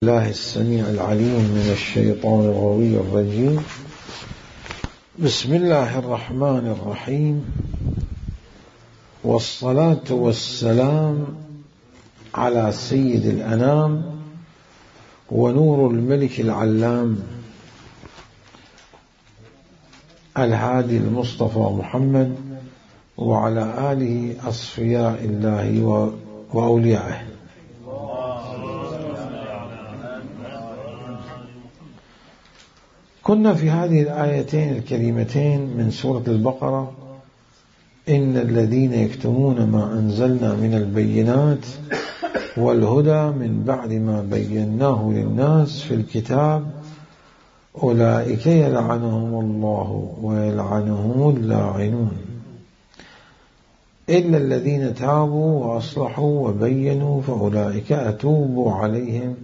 الله السميع العليم من الشيطان الغوي الرجيم. بسم الله الرحمن الرحيم، والصلاة والسلام على سيد الأنام ونور الملك العلام الهادي المصطفى محمد وعلى آله أصفياء الله وأوليائه. كنا في هذه الآيتين الكريمتين من سورة البقرة: إن الذين يكتمون ما أنزلنا من البينات والهدى من بعد ما بيناه للناس في الكتاب أولئك يلعنهم الله ويلعنهم اللاعنون إلا الذين تابوا وأصلحوا وبينوا فأولئك أتوب عليهم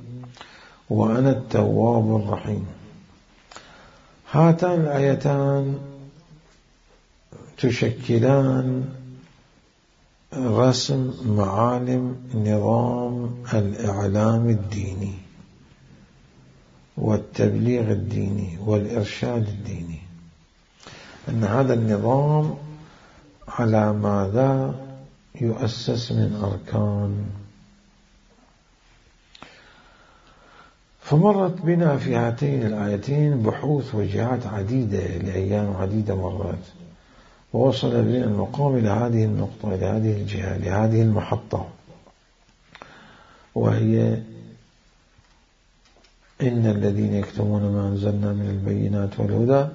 وأنا التواب الرحيم. هاتان الآيتان تشكلان رسم معالم نظام الإعلام الديني والتبليغ الديني والإرشاد الديني، أن هذا النظام على ماذا يؤسس من أركان. فمرت بنا في هاتين الآيتين بحوث وجهات عديدة لأيام عديدة مرات، ووصل بنا المقام إلى هذه النقطة، إلى هذه الجهة، لهذه المحطة، وهي إن الذين يكتمون ما أنزلنا من البينات والهدى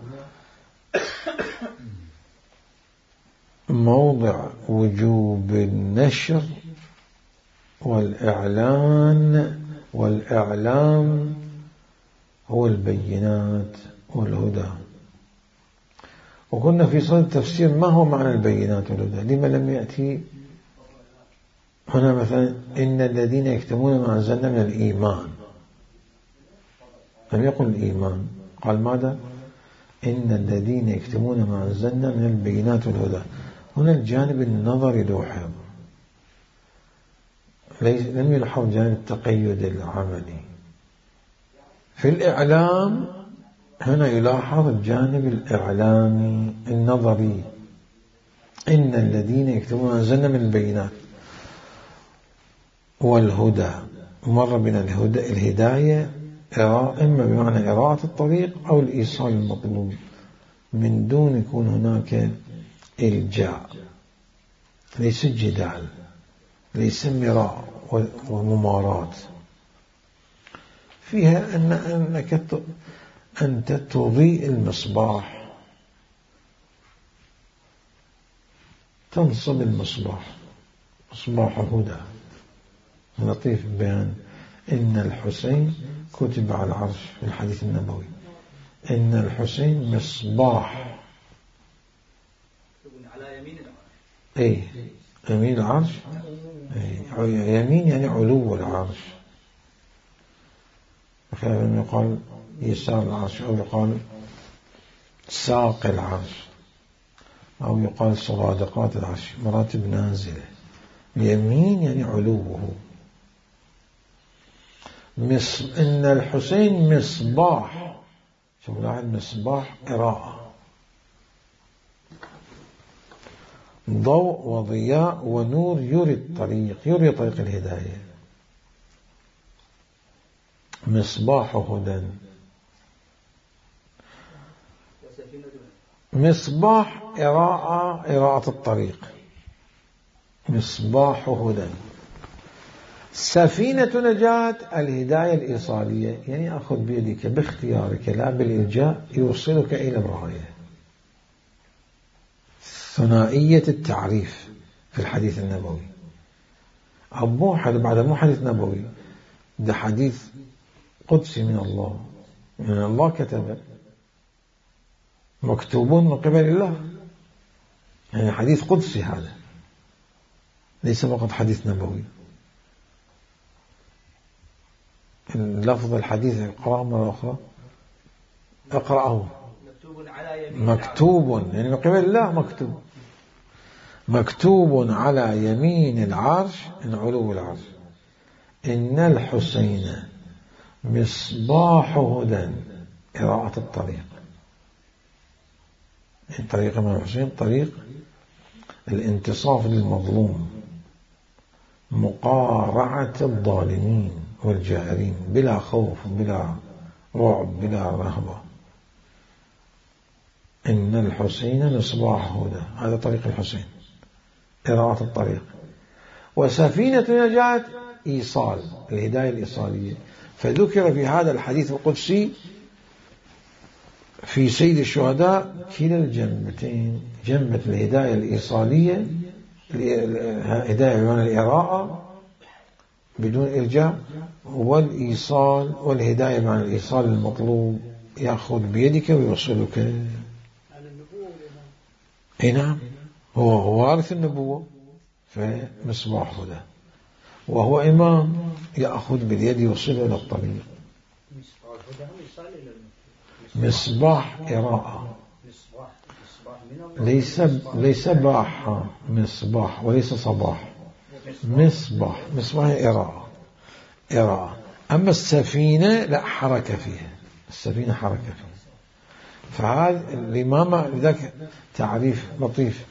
موضع وجوب النشر والإعلام هو البينات والهدى. وكنا في صدد تفسير ما هو معنى البينات والهدى، لما لم يأتي هنا مثلا إن الذين يكتمون ما أنزلنا من الإيمان، لم يقل الإيمان، قال ماذا؟ إن الذين يكتمون ما أنزلنا من البينات والهدى. هنا الجانب النظري لوحظ، لم يلحظ جانب التقيد العملي. في الإعلام هنا يلاحظ الجانب الإعلامي النظري، إن الذين يكتبون ما أنزلنا من البينات والهدى. مر بنا الهداية إما بمعنى إراءة الطريق أو الإيصال المطلوب، من دون يكون هناك إلجاء، ليس جدال، ليس مراء ومماراة، فيها أنك أنت تضيء المصباح، تنصب المصباح، مصباح هدى. لطيف بيان إن الحسين كتب على العرش في الحديث النبوي، إن الحسين مصباح على يمين العرش. يمين العرش، يمين يعني علو العرش، فلما يقال يسار العرش أو يقال ساق العرش أو يقال صرادقات العرش، مراتب نازلة. اليمين يعني علوه. إن الحسين مصباح، شوف لاحظ، مصباح إراءة، ضوء وضياء ونور، يري الطريق، يري طريق الهداية. مصباح هدى، مصباح إراءة الطريق، مصباح هدى. سفينة نجاة الهداية الإيصالية، يعني أخذ بيدك باختيارك لا بالإلجاء يوصلك إلى الغاية. ثنائية التعريف في الحديث النبوي، بعد مو حديث نبوي، ده حديث قدسي من الله، من الله كتب، مكتوبون من قبل الله، يعني حديث قدسي هذا، ليس فقط حديث نبوي. اللفظ الحديث اقرأه مرة أخرى، اقرأه. مكتوب يعني من قبل الله، مكتوب على يمين العرش، من علو العرش، إن الحسين مصباح هدى إراءة الطريق. طريق الإمام الحسين طريق الانتصاف للمظلوم، مقارعة الظالمين والجائرين بلا خوف بلا رعب بلا رهبة. إن الحسين مصباح هدى، هذا طريق الحسين، إراءة الطريق. وسفينة نجاة إيصال، الهداية الإيصالية. فذكر في هذا الحديث القدسي في سيد الشهداء كلا الجنبتين، جنبة الهداية الإيصالية، هداية بمعنى الإراءة بدون إرجاع، والإيصال والهداية بمعنى الإيصال المطلوب، يأخذ بيدك ويوصلك. أي نعم، هو وارث النبوة، فمصباح هدى، وهو إمام يأخذ باليد يوصله إلى الطريق. مصباح إراءة، ليس باح مصباح وليس صباح، مصباح إراءة. أما السفينة لا حركة فيها، السفينة حركة فيها. فهذا الإمامة لذلك تعريف لطيف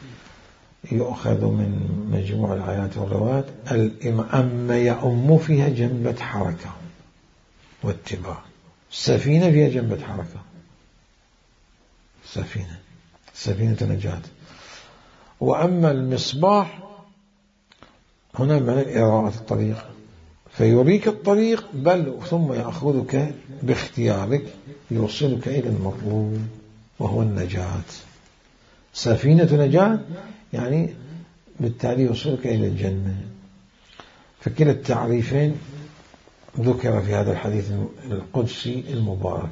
يؤخذ من مجموع الآيات والروايات. أما يؤم فيها جنبة حركة واتباع، السفينة فيها جنبة حركة، سفينة نجاة. وأما المصباح هنا معنى إراءة الطريق، فيريك الطريق بل ثم يأخذك باختيارك يوصلك إلى المطلوب وهو النجاة. سفينة نجاة يعني بالتالي يوصلك إلى الجنة. فكلا التعريفين ذكر في هذا الحديث القدسي المبارك،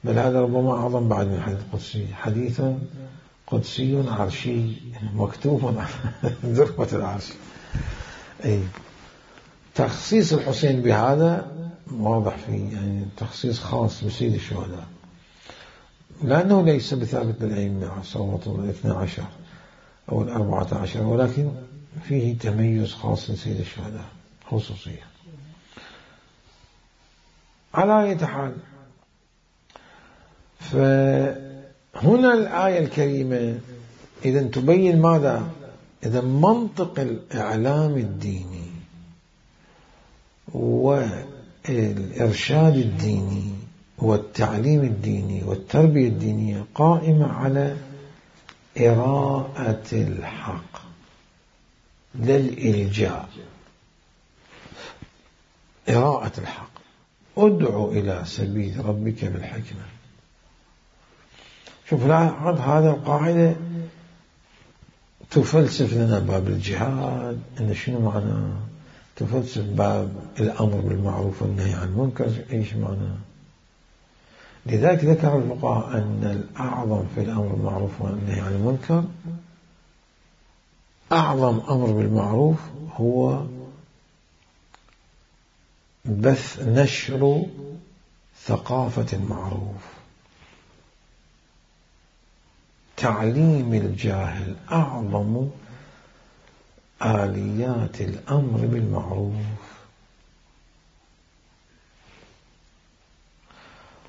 بل هذا ربما أعظم بعد من الحديث القدسي، حديث قدسي عرشي مكتوب ذروة العرش. أي تخصيص الحسين بهذا واضح فيه، يعني تخصيص خاص بسيد الشهداء، لأنه ليس بثابت بالأئمة صوت 12 أو 14، ولكن فيه تميز خاص لسيد الشهداء، خصوصية. على أي حال، فهنا الآية الكريمة إذا تبين ماذا؟ إذا منطق الإعلام الديني والإرشاد الديني والتعليم الديني والتربية الدينية قائمة على إراءة الحق لا الإلجاء. إراءة الحق، ادعو إلى سبيل ربك بالحكمة. شوف لاحظ هذا القاعدة تفلسف لنا باب الجهاد، إن شنو معناه، تفلسف باب الأمر بالمعروف والنهي عن المنكر إيش معناه. لذلك ذكر الفقهاء أن الأعظم في الأمر بالمعروف والنهي عن المنكر، أعظم أمر بالمعروف هو بث نشر ثقافة المعروف. تعليم الجاهل أعظم آليات الأمر بالمعروف،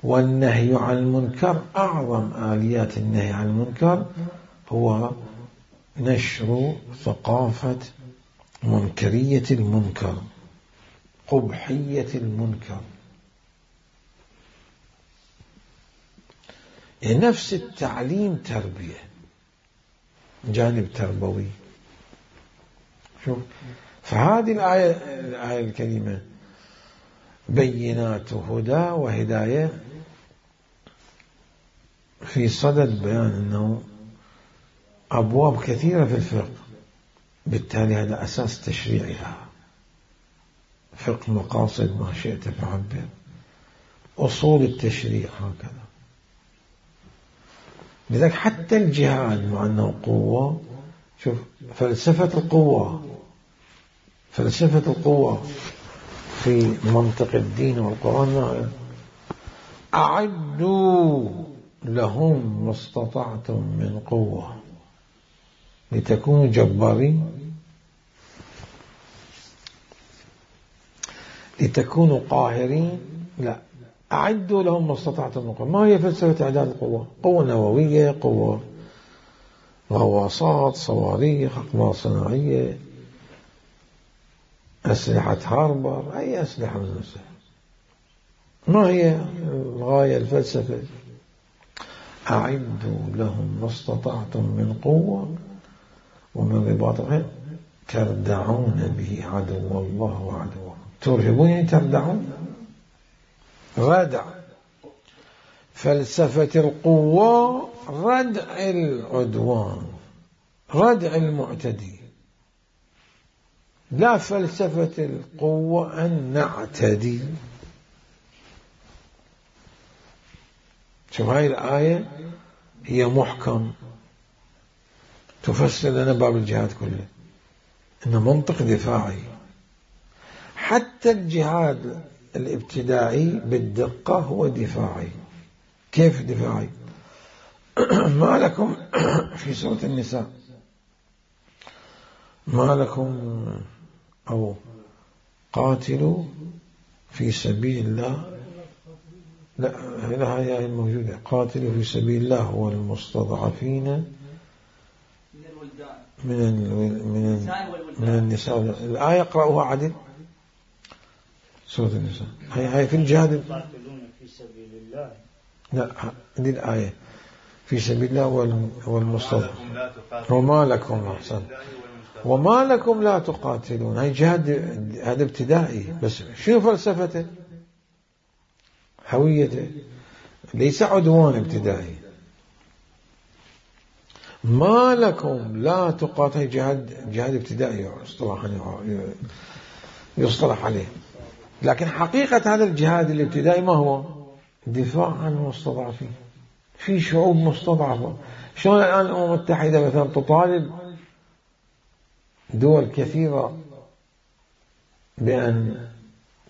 والنهي عن المنكر أعظم آليات النهي عن المنكر هو نشر ثقافة منكرية المنكر، قبحية المنكر. نفس التعليم تربية، جانب تربوي. شوف فهذه الآية الكريمة بينات هدى وهداية في صدد بيان أنه أبواب كثيرة في الفقه، بالتالي هذا أساس تشريعها، فقه مقاصد ما شئت فعبر، أصول التشريع هكذا. لذلك حتى الجهاد مع أنه قوة، شوف فلسفة القوة في منطق الدين والقرآن، أعدوا لهم ما استطعتم من قوة لتكونوا جبارين، لتكونوا قاهرين، لا، أعدوا لهم ما استطعتم من قوة. ما هي فلسفة إعداد القوة؟ قوة نووية، قوة غواصات، صواريخ، أقمار صناعية، أسلحة هاربر، أي أسلحة من الأسلحة. ما هي الغاية الفلسفة؟ أعدوا لهم ما استطعتم من قوة ومن رباط الخيل تردعون به عدو الله وعدوه. ترهبون يعني تردعون، ردع. فلسفة القوة ردع العدوان، ردع المعتدي. لا فلسفة القوة أن نعتدي. شوف هاي الآية هي محكم تفسر لنا باب الجهاد كله، إنه منطق دفاعي. حتى الجهاد الابتدائي بالدقة هو دفاعي. كيف دفاعي؟ ما لكم في سورة النساء ما لكم أو قاتلوا في سبيل الله. لا هي الموجودة. قاتلوا في سبيل الله والمستضعفين من النساء. الآية اقرأوها عدل. سورة النساء هي في الجهاد. في سبيل الله. لا دي الآية في سبيل الله والمستضعف. وما لكم أحسن وما لكم لا تقاتلون. هاي جهاد، هذا ابتدائي. بس شنو فلسفته؟ هويته، ليس عدوان ابتدائي. ما لكم لا تقاتل، جهاد ابتدائي يصطلح عليه. لكن حقيقة هذا الجهاد الابتدائي ما هو؟ دفاع عن المستضعفين. في شعوب مستضعفة. شلون الآن الأمم المتحدة مثلا تطالب دول كثيرة بأن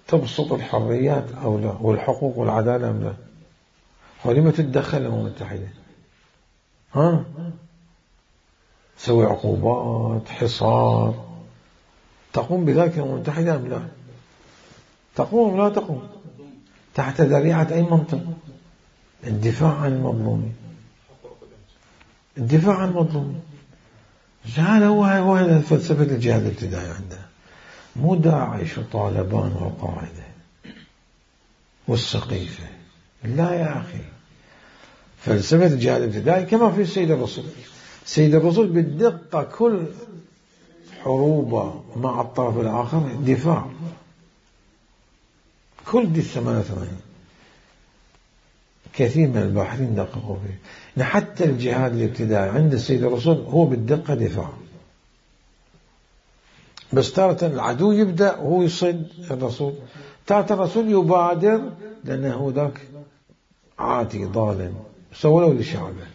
تبسط الحريات أو لا، والحقوق والعدالة أم لا؟ ولما تتدخل الأمم المتحدة؟ تسوي عقوبات، حصار، تقوم بذلك الأمم المتحدة أم لا؟ تقوم لا تقوم؟ تحت ذريعة أي منطق؟ الدفاع عن المظلومين. الدفاع عن المظلومين. هذا هو فلسفة الجهاد الابتدائي عندنا. مو داعش وطالبان والقاعدة والسقيفة. لا يا أخي، فلسفة الجهاد الابتدائي كما في السيد الرسول. سيد الرسول بالدقة كل حروبه مع الطرف الآخر دفاع. كل دي 88 كثير من الباحثين دققوا فيه. حتى الجهاد الابتدائي عند السيد الرسول هو بالدقة دفاع. بس تارة العدو يبدأ وهو يصد الرسول، تارة الرسول يبادر لأنه هو ذاك عاتي ظالم سولوا لشعبه.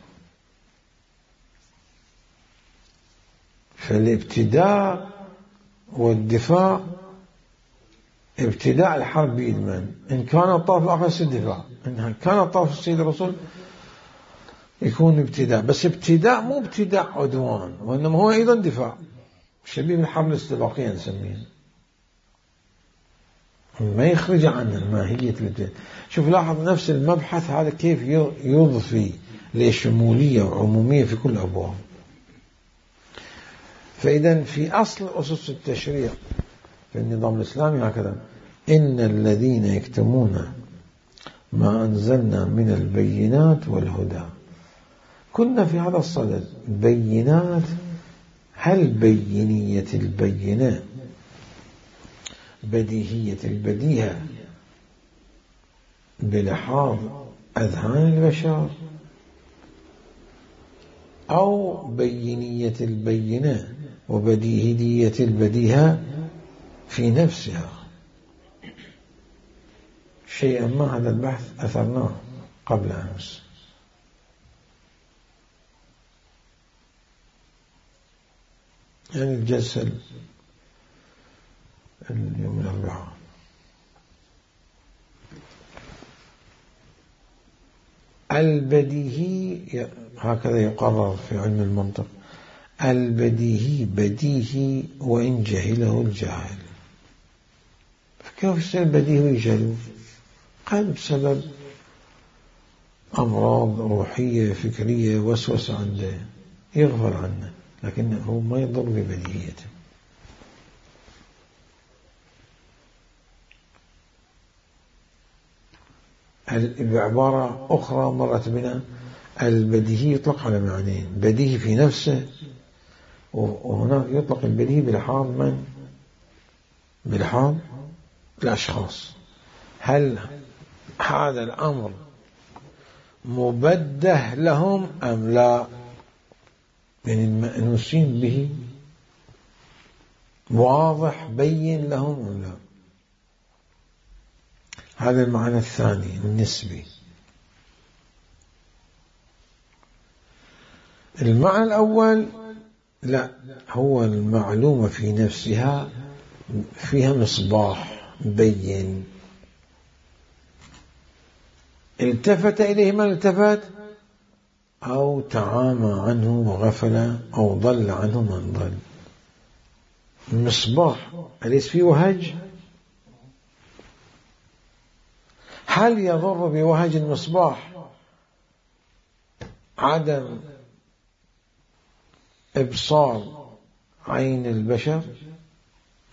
فالابتداء والدفاع، ابتداء الحرب بيد من؟ إن كان الطرف الآخر الدفاع، إن كان الطرف السيد الرسول يكون ابتداء. بس ابتداء مو ابتداء عدوان، وإنما هو أيضا دفاع، شبيه بالحرب الاستباقية نسميه. ما يخرج عن ماهية الابتداء. شوف لاحظ نفس المبحث هذا كيف يضفي لشمولية وعمومية في كل أبواب. فإذا في أصل أسس التشريع في النظام الإسلامي هكذا: إن الذين يكتمون ما أنزلنا من البينات والهدى. كنا في هذا الصدد. بينات، هل بينية البينة بديهية البديهة بلحاظ أذهان البشر، أو بينية البينة وبديهية البديهة في نفسها؟ شيئا ما هذا البحث أثرناه قبل أمس. يعني الجلسة اليوم الأربعاء. البديهي هكذا يقرر في علم المنطق: البديهي بديهي وإن جهله الجاهل. فكيف يصير بديهي ويجهله؟ قد بسبب أمراض روحية فكرية وسوسة عنده يغفل عنه، لكنه ما يضر ببديهيته. بعبارة أخرى مرت بنا، البديهي يطلق على معنيين: بديهي في نفسه، وهناك يطلق البديهي بلحاظ من؟ بلحاظ الأشخاص. هل هذا الأمر مبده لهم أم لا؟ يعني المأنوسين به واضح بين لهم أم لا؟ هذا المعنى الثاني النسبي. المعنى الأول لا، هو المعلومة في نفسها فيها مصباح بين، التفت إليه من التفت، أو تعامى عنه وغفل، أو ضل عنه من ضل. المصباح أليس فيه وهج؟ هل يضر بوهج المصباح عدم إبصار عين البشر؟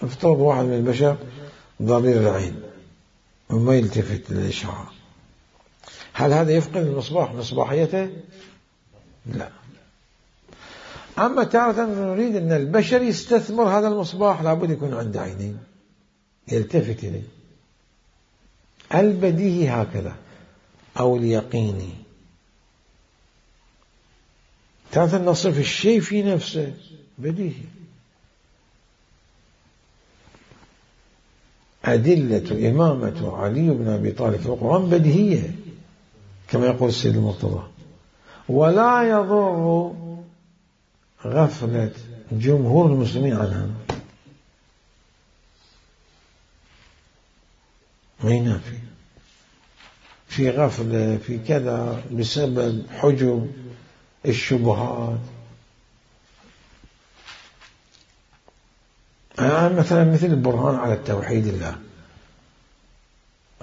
افترض واحد من البشر ضرير العين وما يلتفت للإشعاع، هل هذا يفقد المصباح مصباحيته؟ لا. أما تارة نريد أن البشر يستثمر هذا المصباح، لابد يكون عنده عينين يلتفت إليه. البديهي هكذا، أو اليقيني. تارة نصف الشيء في نفسه بديهي. أدلة إمامة علي بن أبي طالب في القرآن بديهية كما يقول السيد المرتضى، ولا يضر غفلة جمهور المسلمين عنها، ما ينافي في غفلة في كذا بسبب حجب الشبهات. مثلا مثل البرهان على التوحيد الله،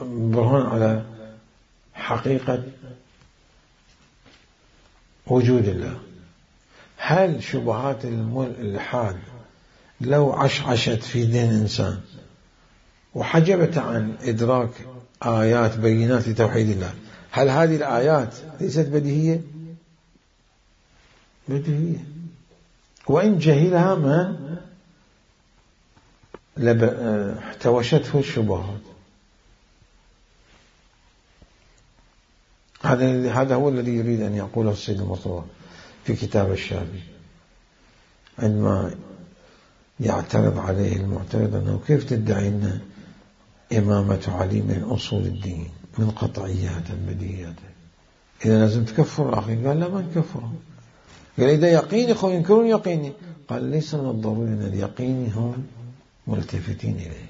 برهان على حقيقة وجود الله. هل شبهات الإلحاد لو عشعشت في دين إنسان وحجبت عن إدراك آيات بينات لتوحيد الله، هل هذه الآيات ليست بديهية؟ بديهية، وإن جهلها من احتوشته الشبهات. هذا هو الذي يريد أن يقوله السيد المرتضى في كتاب الشافعي عندما يعترض عليه المعترض أنه كيف تدعي أن إمامة علي من أصول الدين من قطعيات بديهيات، إذا لازم تكفر الآخرين. قال لا، ما نكفرهم. قال إذا يقيني خو ينكرون يقيني. قال ليس من الضروري أن اليقيني هم ملتفتين إليه،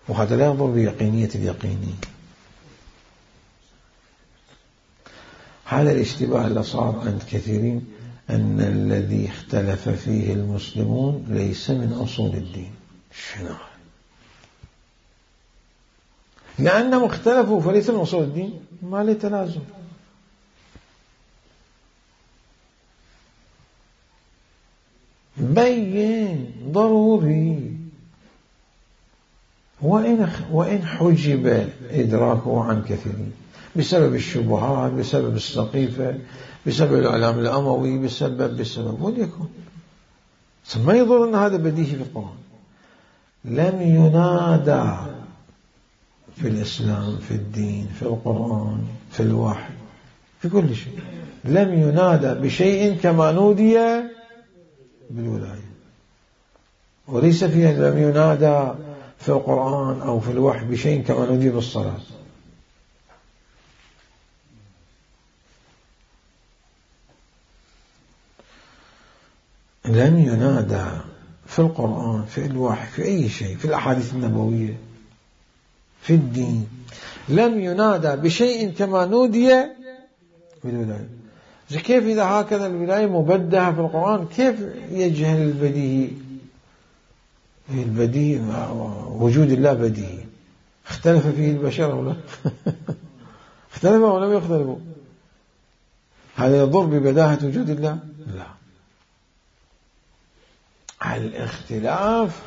وهذا لا يضر بيقينية اليقيني. هذا الاشتباه اللي صار عند كثيرين أن الذي اختلف فيه المسلمون ليس من أصول الدين. شنو؟ لأنهم اختلفوا فليس من أصول الدين، ما له تلازم. بين ضروري، وإن حجب إدراكه عن كثيرين بسبب الشبهات، بسبب السقيفة، بسبب الإعلام الأموي، بسبب وليكن. ما يضر أن هذا بديهي في القرآن. لم ينادى في الإسلام، في الدين، في القرآن، في الوحي، في كل شيء، لم ينادى بشيء كما نودي بالولاية. وليس فيها لم ينادى في القرآن أو في الوحي بشيء كما نودي بالصلاة. لم ينادى في القرآن، في الوحي، في أي شيء، في الأحاديث النبوية، في الدين، لم ينادى بشيء كما نودي بالولاية. كيف إذا هكذا الولاية مبدهة في القرآن، كيف يجهل البديهي؟ البديهي وجود الله بديهي، اختلف فيه البشر أو لا؟ اختلفوا أو لم يختلفوا؟ هذا يضر ببداهة وجود الله؟ لا. الاختلاف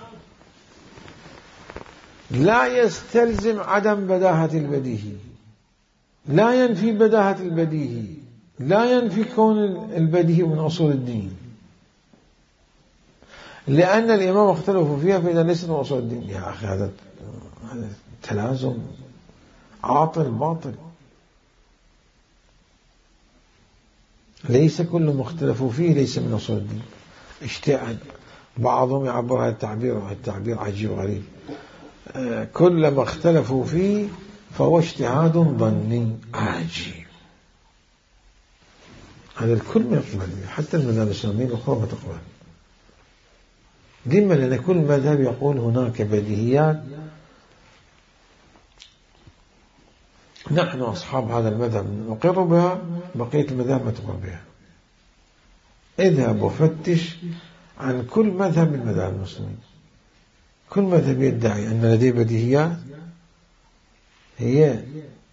لا يستلزم عدم بداهة البديهي، لا ينفي بداهة البديهي، لا ينفي كون البديهي من أصول الدين، لأن الإمام اختلفوا فيها فإذا ليست من أصول الدين. يا أخي هذا تلازم عاطل باطل. ليس كل ما اختلفوا فيه ليس من أصول الدين. اجتهاد، بعضهم يعبر هذا التعبير عجيب غريب، كلما اختلفوا فيه فهو اجتهاد ظني عجيب. هذا الكل ما يقبل، حتى المذاهب الإسلامية الأخرى ما تقبل. لما؟ لأن كل مذهب يقول هناك بديهيات نحن أصحاب هذا المذهب نقر بها، بقية المذاهب ما تقر بها. اذهب وفتش عن كل مذهب من مذاهب المسلمين، كل مذهب يدعي أن لديه بديهيات هي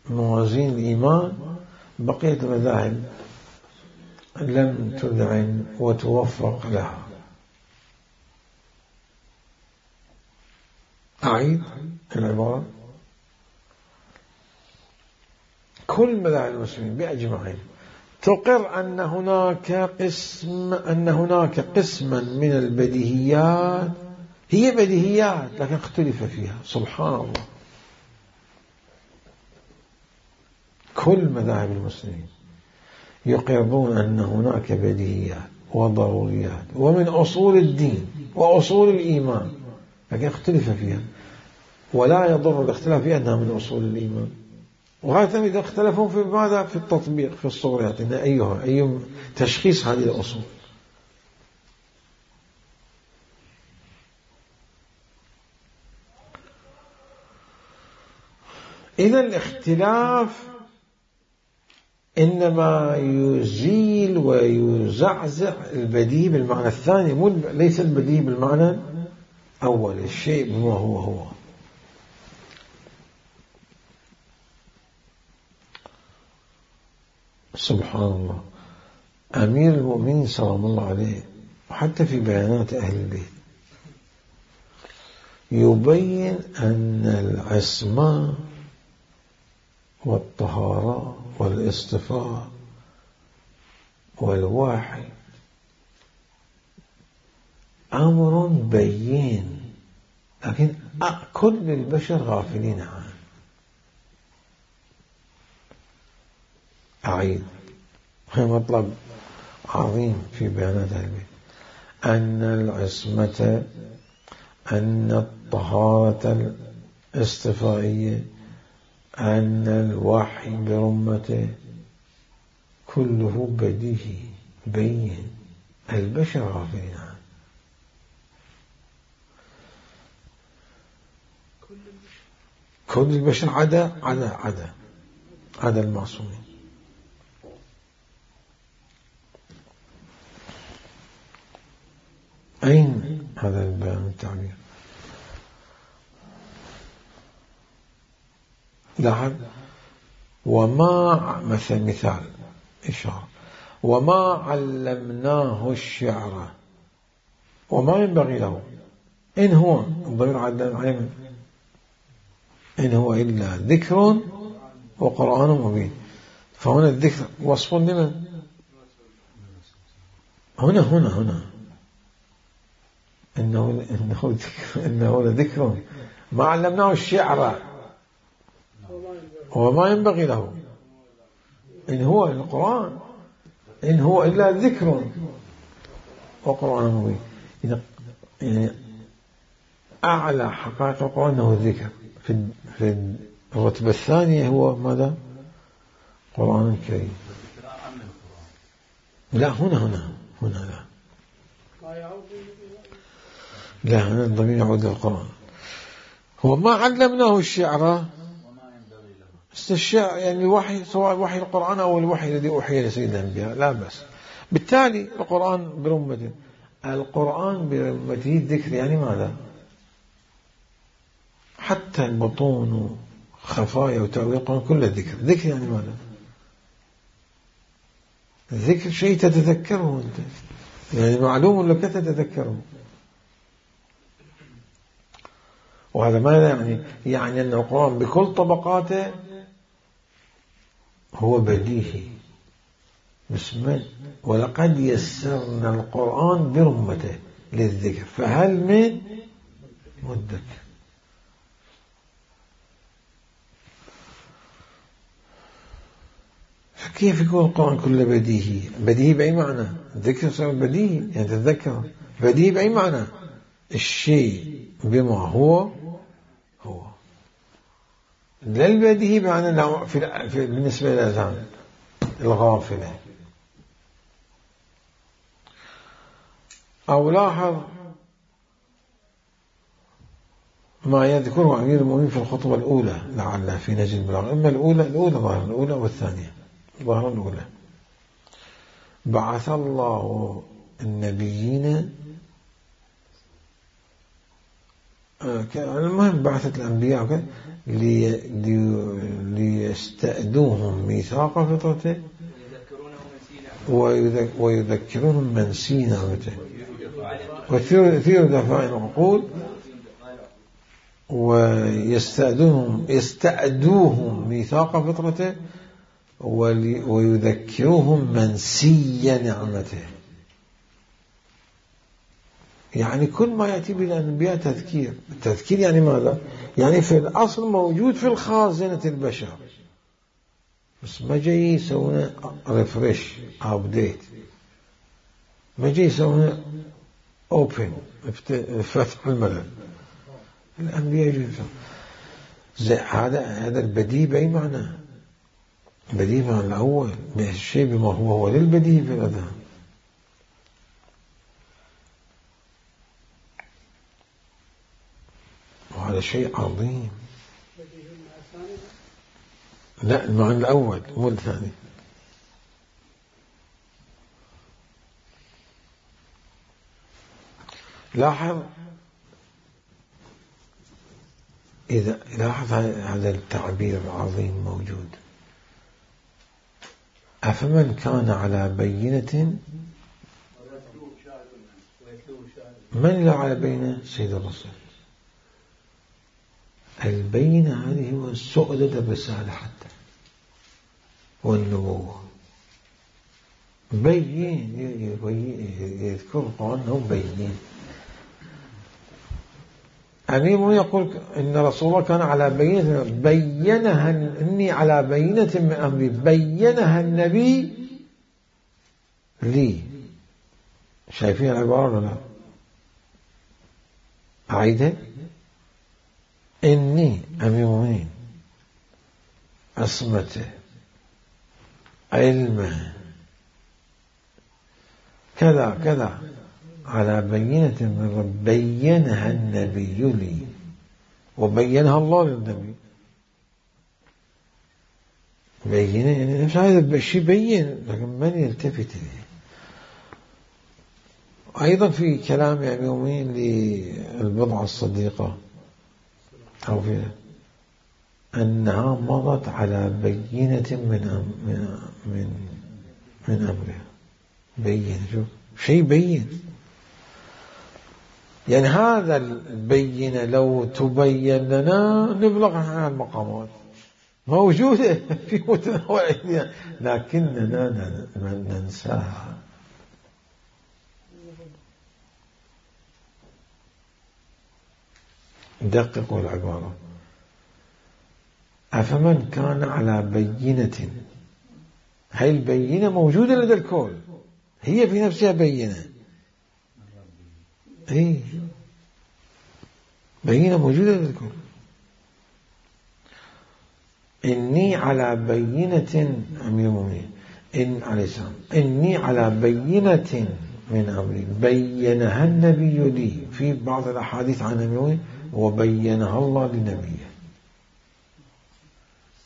موازين الإيمان، بقية المذاهب لم تذعن وتوفق لها. أعيد العبارة، كل مذاهب المسلمين بأجمعين تقر أن هناك قسما من البديهيات هي بديهيات لكن اختلف فيها. سبحان الله، كل مذاهب المسلمين يقرون أن هناك بديهيات وضروريات ومن أصول الدين وأصول الإيمان لكن اختلف فيها، ولا يضر الاختلاف فيها أنها من أصول الإيمان. وهذا إذا اختلفوا في ماذا؟ في التطبيق، في الصوريات، إن أي تشخيص هذه الأصول. إذا الاختلاف إنما يزيل ويزعزع البديهي بالمعنى الثاني، ليس البديهي بالمعنى الأول، الشيء بما هو. سبحان الله، أمير المؤمنين سلام الله عليه وحتى في بيانات أهل البيت يبين أن العصمة والطهارة والاصطفاء والوحي أمر بين، لكن كل البشر غافلين عنه. أعيد، هذا مطلب عظيم في بيانات أهل البيت، أن العصمة، أن الطهارة الاصطفائية، أن الوحي برمته كله بديهي بين، البشر غافلين عنه. كل البشر عدا المعصومين. أين هذا البيان التعبير؟ لاحظ، وما مثال إشارة، وما علمناه الشعر وما ينبغي له، إن هو الضمير علم، إن هو إلا ذكر وقرآن مبين. فهنا الذكر وصف لمن؟ هنا إنه لذكر، ما علمناه الشعر وما ينبغي له، إن هو القرآن، إن هو إلا ذكر وقرآن مبين. يعني أعلى حقائق القرآن أنه الذكر، في الرتبة الثانية هو ماذا؟ قرآن كريم. لا هنا لا هنا الضمير يعود للقرآن. هو ما علمناه الشعر، الشعر يعني الوحي، سواء وحي القرآن أو الوحي الذي أوحي لسيد الأنبياء لا بأس. بالتالي القرآن برمته، القرآن برمته الذكر، يعني ماذا؟ حتى البطون وخفايا وتأويل القرآن كله ذكر. ذكر يعني ماذا؟ الذكر شيء تتذكره أنت، يعني معلوم لك تتذكره. وهذا ماذا يعني؟ يعني أن القرآن بكل طبقاته هو بديهي. بسم ولقد يسرنا القرآن برمته للذكر فهل من مدكر. فكيف يكون القرآن كله بديهي؟ بديهي بأي معنى؟ الذكر صار بديهي يعني تتذكر. بديهي بأي معنى؟ الشيء بما هو لا البديهي بمعنى بالنسبة للأذهان الغافلة. أو لاحظ ما يذكره أمير المؤمنين في الخطبة الأولى لعل في نجل البلاغة، إما الأولى ظاهر الأولى والثانية ظاهر الأولى. بعث الله النبيين، المهم بعثت الأنبياء ليستأدوهم ميثاق فطرته ويذكرونهم من سي نعمته ويثير دفاع العقول يستأدوهم ميثاق فطرته ويذكرهم من سي نعمته. يعني كل ما يأتي بالأنبياء تذكير. التذكير يعني ماذا؟ يعني في الأصل موجود في الخازنة البشر، بس ما جاي يسوون ريفريش أبديت، ما جاي يسوون أوبن فتح الملف. الأنبياء يجوزون هذا البديهي بأي معنى؟ بديهي معنى الأول الشيء بما هو للبديهي في الأذهان. وهذا شيء عظيم. لا المعنى الأول مو الثاني. لاحظ إذا لاحظ هذا التعبير العظيم موجود. أفمن كان على بينة، من لا على بينة؟ سيد الرسول. البينة هذه هو سؤدد الرسالة حتى والنبوة. بين يذكر القرآن أنهم بينين. أمير يقول إن رسول الله كان على بينة، بينها إني على بينة من أمري، بينها النبي لي. شايفين العبارة ولا؟ أعيدها. إني أمير المؤمنين عصمته علمه كذا كذا على بينة من رب، بينها النبي لي وبينها الله للنبي. بينه يعني نفس هذا الشيء بين، لكن من يلتفت إليه. أيضا في كلام يعني يومين للبضعة الصديقة أو في أنها مضت على بينة من أمرها. بين، شوف شيء بين. يعني هذا البينة لو تبين لنا نبلغ عن المقامات موجودة في متناول أيدينا، لكننا ننساها. دققوا العبارة. أفمن كان على بينة، هاي البينة موجودة لدى الكل، هي في نفسها بينة. ايه بينة موجودة لدى الكل. إني على بينة، أمير المؤمنين إن عليه السلام، إني على بينة من أمري بينها النبي لي. في بعض الأحاديث عن أمير وبينها الله لنبيه.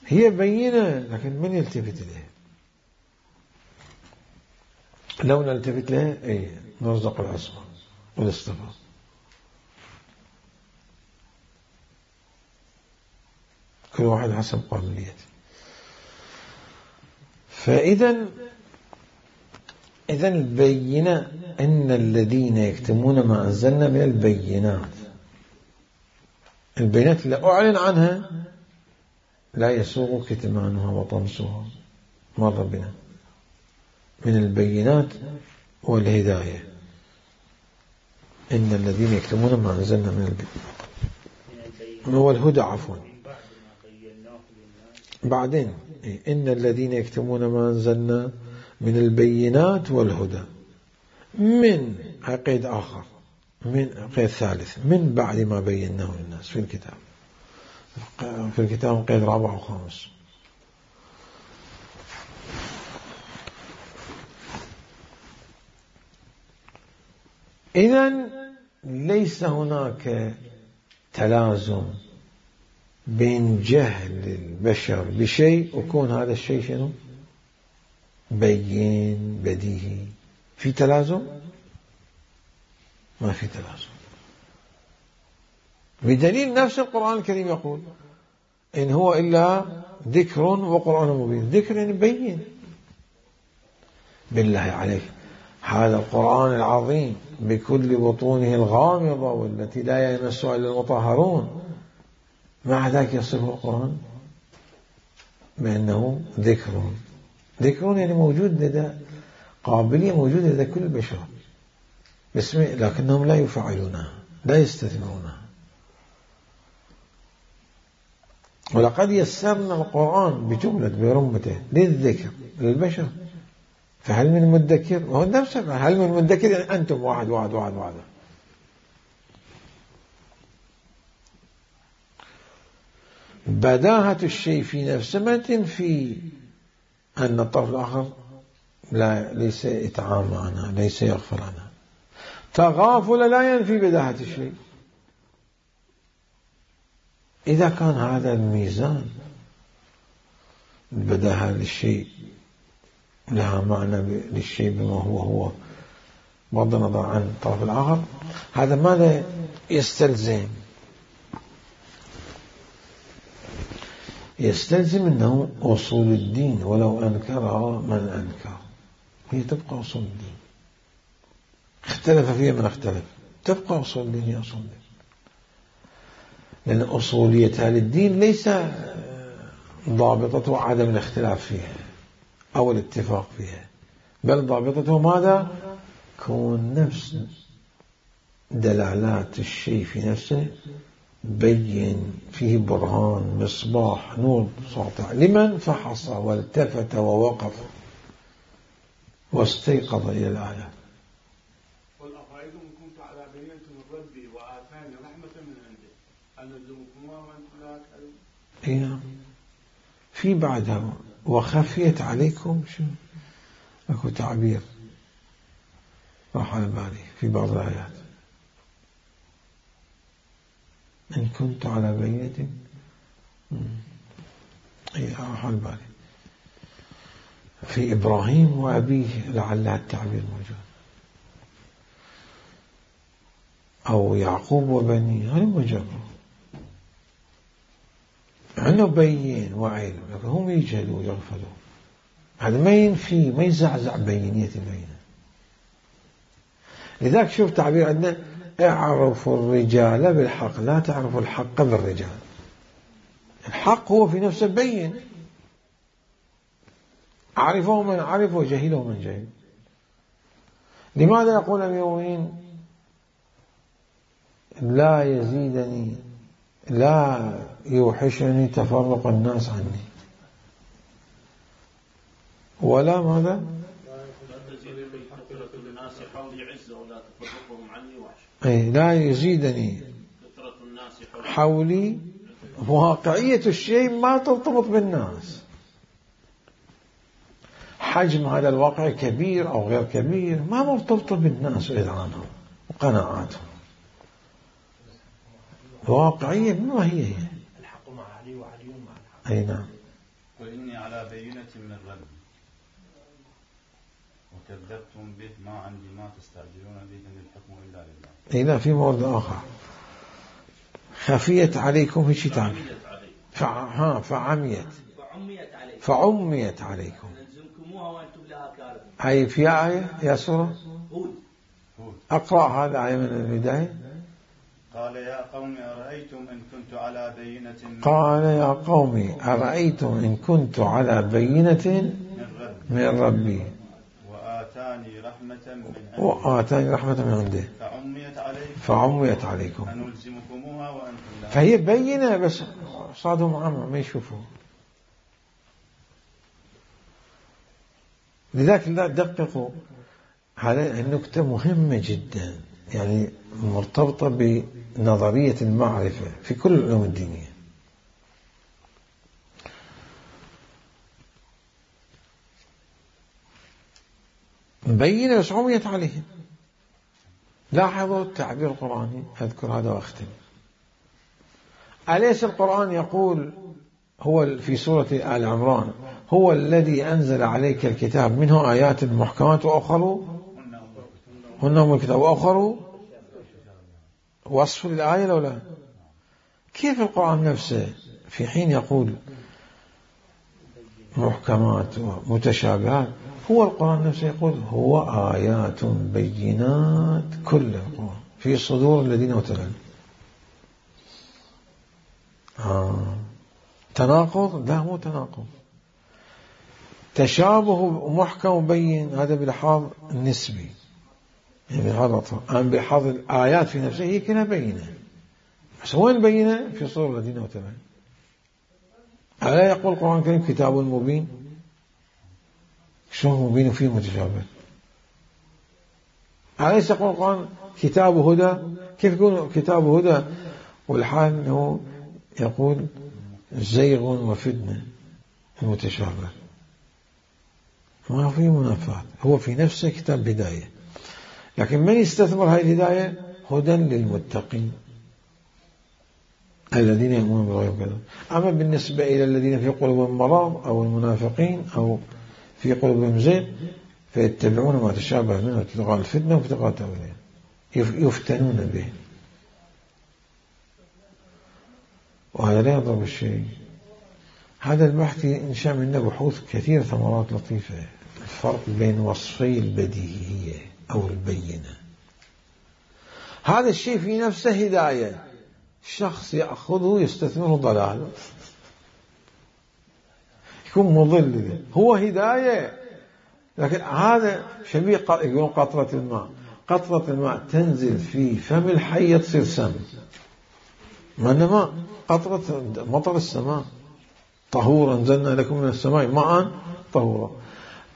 هي بينة لكن من يلتفت إليها؟ لو نلتفت لها ايه نرزق العصمة والاصطفاء. كل واحد حسب قابليته. فإذا البينة إن الذين يكتمون ما أنزلنا من البينات، البينات اللي أعلن عنها لا يسوغ كتمانها وطمسها، مر بنا، من البينات والهداية. إن الذين يكتمون ما أنزلنا من البينات هو الهدى، عفوا بعدين إن الذين يكتمون ما أنزلنا من البينات والهدى، من قيد آخر، من قيد ثالث، من بعد ما بيناه للناس في الكتاب. في الكتاب قيد رابع وخامس. إذن ليس هناك تلازم بين جهل البشر بشيء وكون هذا الشيء شنو؟ بين بديهي. في تلازم؟ ما في تلازم، بدليل نفس القرآن الكريم يقول إن هو إلا ذكر وقرآن مبين. ذكر يعني بين. بالله عليك، هذا القرآن العظيم بكل بطونه الغامضة والتي لا يمسها إلا المطهرون، مع ذلك يصفه القرآن بأنه ذكر. ذكر يعني موجود لدى، قابلية موجودة لدى كل البشر باسمه، لكنهم لا يفعلونها، لا يستثمرونها. ولقد يسرنا القرآن بجملة برمته للذكر للبشر، فهل من مدكر؟ وهو نفسه هل من مدكر يعني أنتم واحد واحد واحد واحد. بداهة الشيء في نفسه ما تنفي أن الطرف الآخر ليس يتعامل عنها، ليس يغفل عنها. تغافل لا ينفي بداهة الشيء. إذا كان هذا الميزان، البداهة للشيء لها معنى للشيء بما هو بغض النظر عن الطرف الآخر، هذا ماذا يستلزم؟ يستلزم أنه أصول الدين ولو أنكرها من أنكر، هي تبقى أصول الدين، اختلف فيها من اختلف، تبقى أصول الدين هي أصول الدين. لأن أصوليتها للدين ليس ضابطته عدم الاختلاف فيها أو الاتفاق فيها، بل ضابطته ماذا؟ كون نفس دلالات الشيء في نفسه بين، فيه برهان، مصباح، نور ساطع لمن فحص والتفت ووقف واستيقظ إلى الآيات. قل أفرأيتم إن كنت على بينة من ربي وآتاني رحمة من عنده أنلزمكموها وأنتم لا تعلمون. في بعدها وخفيت عليكم، شو أكو تعبير راح على بالي في بعض الآيات، إن كنت على بينة، راح على بالي في إبراهيم وأبيه لعل التعبير موجود، أو يعقوب وبنيه، هذا مجرد عنه بين وعلم، لكن هم يجهلوا يغفلوا. هذا ما ينفي، ما يزعزع بينية البينة. لذلك شوف تعبير عندنا اعرفوا الرجال بالحق لا تعرفوا الحق بالرجال. الحق هو في نفسه بين، عرفه من عرف وجهله من جهل. لماذا يقول أمير المؤمنين لا يزيدني، لا يوحشني تفرق الناس عني، ولا ماذا؟ لا يزيدني حولي. واقعية الشيء ما ترتبط بالناس، حجم هذا الواقع كبير أو غير كبير ما مرتبط بالناس وإذعانهم وقناعاتهم. واقعية ما هي الحق مع علي وعلي مع الحق. أي نعم. وإني على بينة من ربي وكذبتم به ما عندي ما تستعجلون به إن الحكم إلا لله. لا، في مورد آخر خفيت عليكم، في شيء ثاني فعميت عليكم نلزمكموها وأنتم لها كارهون. أي في آية يا سورة أقرأ هذا آية من البداية. قال يا قوم أرأيتم إن كنت على بينة من ربي وآتاني رحمة من عنده فعميت عليكم أنلزمكموها وأنتم لها. فهي بينة بس صادهم عامة ما يشوفوا. لذلك لا دققوا هذه النكتة مهمة جدا، يعني مرتبطة بنظرية المعرفة في كل العلوم الدينية. مبينة بس عميت عليهم. لاحظوا التعبير القرآني، أذكر هذا وأختم. أليس القرآن يقول هو في سورة آل عمران هو الذي أنزل عليك الكتاب منه آيات محكمات وأخر هن أم الكتاب وأخر وصف للآية لو لا؟ كيف القرآن نفسه في حين يقول محكمات ومتشابهات، هو القرآن نفسه يقول هو آيات بينات كل القرآن في صدور الذين أوتوا العلم. تناقض؟ لا مو تناقض. تشابه محكم وبين هذا بلحاظ النسبي، يعني بلحاظ الآيات في نفسها هي كلها بينة، بس وين بينة؟ في صدور الذين أوتوا العلم. ألا يقول القرآن الكريم كتاب مبين؟ شو مبين فيه متشابه؟ أليس يقول القرآن كتاب هدى؟ كيف يكون كتاب هدى والحال أنه يقول زيغ وفتنة المتشابه؟ ما في منافاة، هو في نفسه كتاب هداية، لكن من يستثمر هذه الهداية؟ هدى للمتقين الذين يؤمنون بالغيب كذا. أما بالنسبة إلى الذين في قلوبهم مرض أو المنافقين أو في قلوبهم زيغ فيتبعون ما تشابه منه ابتغاء الفتنة وابتغاء تأويله، يفتنون به. وهذا لا يضر بالشيء. هذا البحث إنشاء منه بحوث كثير، ثمرات لطيفة. الفرق بين وصفي البديهية أو البينة، هذا الشيء في نفسه هداية، شخص يأخذه يستثمره ضلال، يكون مضل، هو هداية. لكن هذا شبيه يقولون قطرة الماء. قطرة الماء تنزل في فم الحية تصير سم، ما إنما قطرة مطر السماء طهورا أنزلنا لكم من السماء ماء طهورا،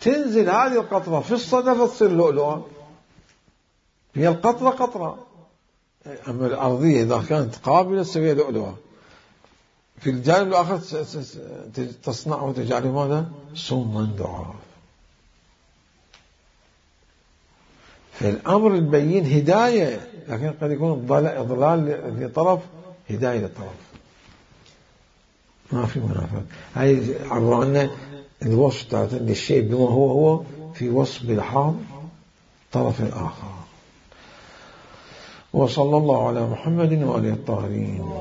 تنزل هذه القطرة في الصدفة تصير لؤلؤة. هي القطرة قطرة، أما الأرضية إذا كانت قابلة تسويها لؤلؤة، في الجانب الآخر تصنع وتجعله ماذا؟ سما ضعاف. فالأمر البين هداية، لكن قد يكون إضلال لطرف، هداية لطرف، ما في منافاة. هاي عبر عنا الوصف تاعت الشيء بما هو في وصف بلحاظ طرف الآخر. وصلى الله على محمد وآله الطاهرين.